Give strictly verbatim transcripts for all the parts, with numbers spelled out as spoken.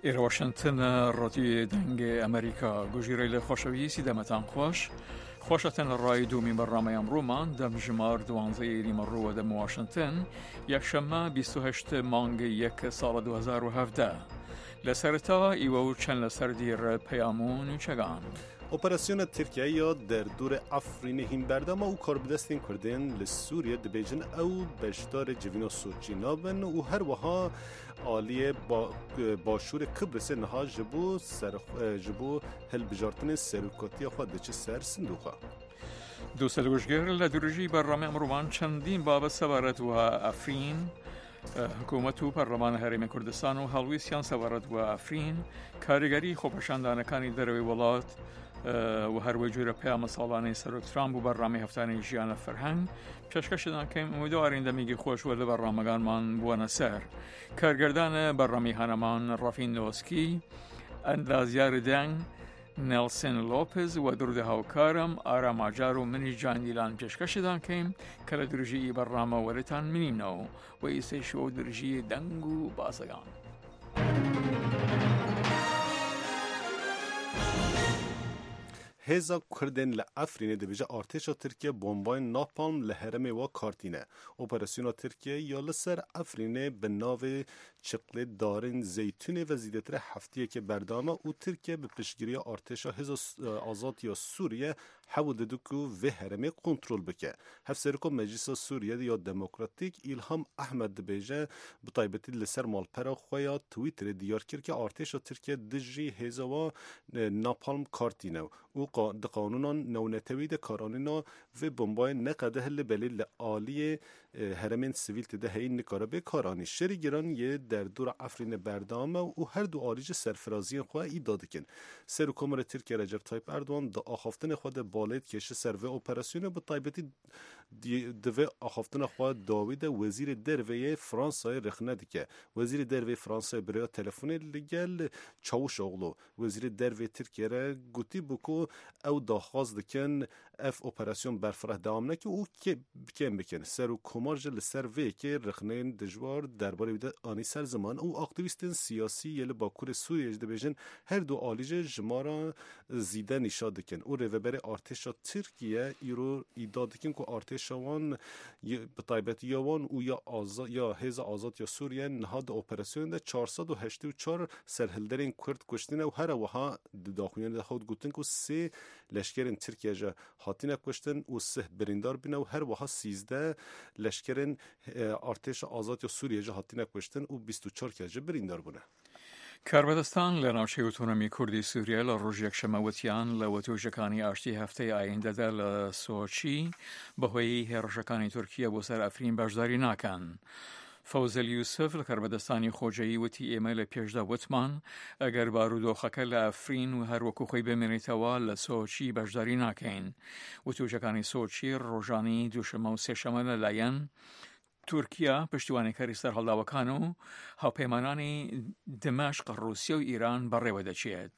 ئێرە واشنتن ڕادیۆ دەنگ ئەمریکا گوژیرەی لە خۆشەویستی دەمەتان خۆش خۆشەتەن لە ڕای دومی بەرنامەی ئەمڕۆمان دەم ژمار دوانزەی نیمەڕووە دەم واشنتن یەکشەممە بیست و هەشت مانگ یەک ساڵ دوو هەزار و هەڤدە. لە سەرەتا ئیوە و چەند لەسەر دیر پەیام و نوچەگان. ئۆپەراسیۆنە ترکیە یا دەردور ئەفرینê hîn berdama û karbidestên Kurdên li Sûriye dibêjin ew beşdarê civîna Soçî nabin û her wiha aliyê başûrê Kibrisê niha ji bo ji bo hilbijartinên serokatiya xwe diçe ser sindoqa. دوو سەرگوشگر لە درژی بەرنامەی ئەمڕۆمان چەندین بابەت سەبارەت وە ئەفرین، حکوومەت و پەرلەمان هەرێمی کوردستان و هەڵویستیان سەبارەت وە ئەفرین، کاریگەری خۆپەشاندانەکانی دەرەوەی وڵات و هەروەی جۆرە پەیامە ساڵانەی سەرۆک ترامپ و بەرنامەی هەفتانەی ژیانە فەرهەنگ پێشکەشدان کەیم. ئومیدوارین دەمێکی خۆش وە لە بەرنامەکانمان بووەنە سەر. کارگردانە بەرنامەی هەنەمان ڕەفین نۆسکی، ئەندازیار دەنگ نێلسن لۆپز و درودە هاوکارم ئارام ئاجار و منی جاندیلان پێشکەشدان کەیم کە لە درژی بەرنامە وەرتان منینەوە و ئیسەیش و درژی دەنگ و باسەگان. هێزا Kurdên li Efrînê dibêje artêşa Tirkiye bombayên napalm li herêmê wa kartîne. Operasyona Tirkiye ya li ser Efrînê bi navê Çiqlê Darên Zeytûnê ve zêdetir heftiyekê berdame û Tirkiye bi piştgiriya artêşa Hêza Azad ya Sûriye hewl dide ku vê herêmê kontrol bike. Hevseroka Meclisa Sûriye ya Demokratîk İlham Ehmed dibêje bi taybetî li ser malpera xwe ya Twitterê diyar kir ki artêşa Tirkiye dijî hêza wa napalm kartîne û di qanûnan navnetewî de karanîna vê bombayê neqede li belê li aliyê herêmên sivîl tê de heyî nikare bê karanî. Şerê giran yê derdora Efrînê berdame û her du alî ji serfiraziyên xwe îdia dikin. Serokkomarê Tirkiye Recep Tayyip Erdogan di axaftinê xwe de balê dikêşe ser vê operasyonê bi taybetî di vê axaftina xwe dawî de wezîrê derveyê Fransayê rexne dike. Wezîrê derveyê Fransayê bi rêya telefonê li gel Çavuşoğlu wezîrê derveyê Tirkiye re gotî bû ku ew daxwaz dikin ev operasyon berfireh dewam neke û kêm bikin. Serokkomar ji li ser vê yekê rexneyên dijwar derbarê wî de anî ser ziman û aktîvîstên siyasî yê li Bakurê Sûriyê jî dibêjin her du alî jî jimara zîde nîşa dikin û rêveberê artêşa Tirkiye îro îdia dikin ku artêşa wan bi taybetî ya wan û ya ya Hêza Azad ya Sûriye niha di operasyonê de çar sed û heştê û çar serhilderên Kurd kuştine û her wiha di daxuyanê de hat gotin ku sê leşkerên Tirkiye ji hatine kuştin û sih birîndar bûne û her wiha sîzde leşkerên artêşa Azad ya Sûriye ji hatine kuştin û bîst û çar kes ji birîndar bûne. کاربەدەستان لە ناوچەی ئۆتۆنۆمی کوردی سووریا لە ڕۆژ یەکشەممە وتیان لە وتوێژەکانی ئاشتی هەفتەی ئایندەدا لە سۆچی بەهۆی هێڕشەکانی تورکیا بۆ سەر ئەفرین بەشداری ناکەن. فەوزەل یوسف لە کاربەدەستانی خۆجێی وتی ئێمە لە پێشدا وتمان ئەگەر بارودۆخەکە لە ئەفرین و هەروەکو خۆی بمێنێتەوە لە سۆچی بەشداری ناکەین. وتوێژەکانی سۆچی ڕۆژانی دووشەممە و سێشەممە لەلایەن تورکیا پشتیوانیکاری سەرهەڵداوەکان و هاوپەیمانانی دمەشق، ڕوسیا و ئیران بەڕێوە دەچێت.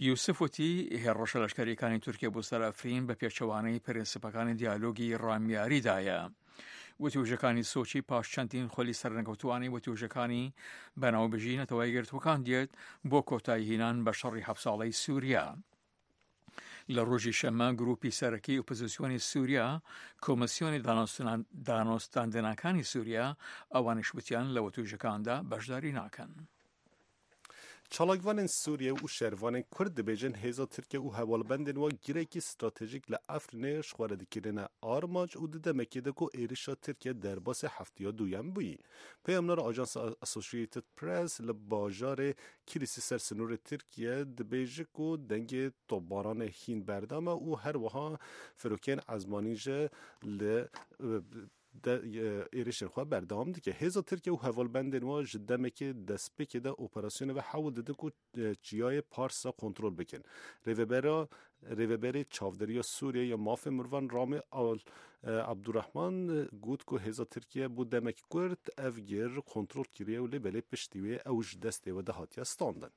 یوسف وتی هێڕەشە لەشکەریەکانی تورکیا بۆ سەر ئەفرین بە پێچەوانەی پرنسیپەکانی دیالۆگی ڕامیاریدایە. وتوێژەکانی سۆچی پاش چەندین خۆلی سەرنەکەوتوانی وتوێژەکانی بەناوبژی نەتەوەی گرتووەکان دێت بۆ کۆتاییهێنان بە شەڕی حەفت ساڵەی سووریا. لە ڕۆژی شەممە گروپی سەرەکی ئۆپۆزیسیۆنی سووریا، کۆمیسیۆنی دانوستاندنەکانی سووریا، ئەوانیش وتیان لە وتوێژەکاندا بەشداری ناکەن. Çalakvanên Sûriye û şervanên Kurd dibêjin hêza Tirkiye û hevalbendên wan girekî stratejîk li Efrînê ji xwe re dikirine armanc û di demekê de ku êrişa Tirkiye derbasê hefteya duyem bûyî. Peyamnara Ajansa Associated Press li bajarê Kilîsê ser sinorê Tirkiye dibêje ku dengê topbaranê hîn berdame û her wiha firokên ezmanî ji li êrişên xwe berdewam dike. Hêza Tirkiye û hevalbendên wan ji demekê destpêkê de operasyonê ve hewl didin ku çiyayê Parsa kontrol bikin. Rêvebera Rêveberê Çavdêriya Sûriye ya Mafê Mirovan Ramî Abdurrahman got ku hêza Tirkiye bo demek kurt ev gir kontrol kiriye û lê belê piştî wê ew ji destê we de hatiye standin.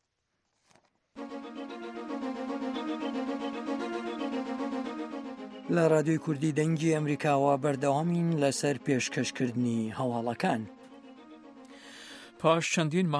لە رادیۆی کوردی دەنگی ئەمریکاوە بەردەوامین لەسەر پێشکەشکردنی هەواڵەکان. پاش چەندین مانگ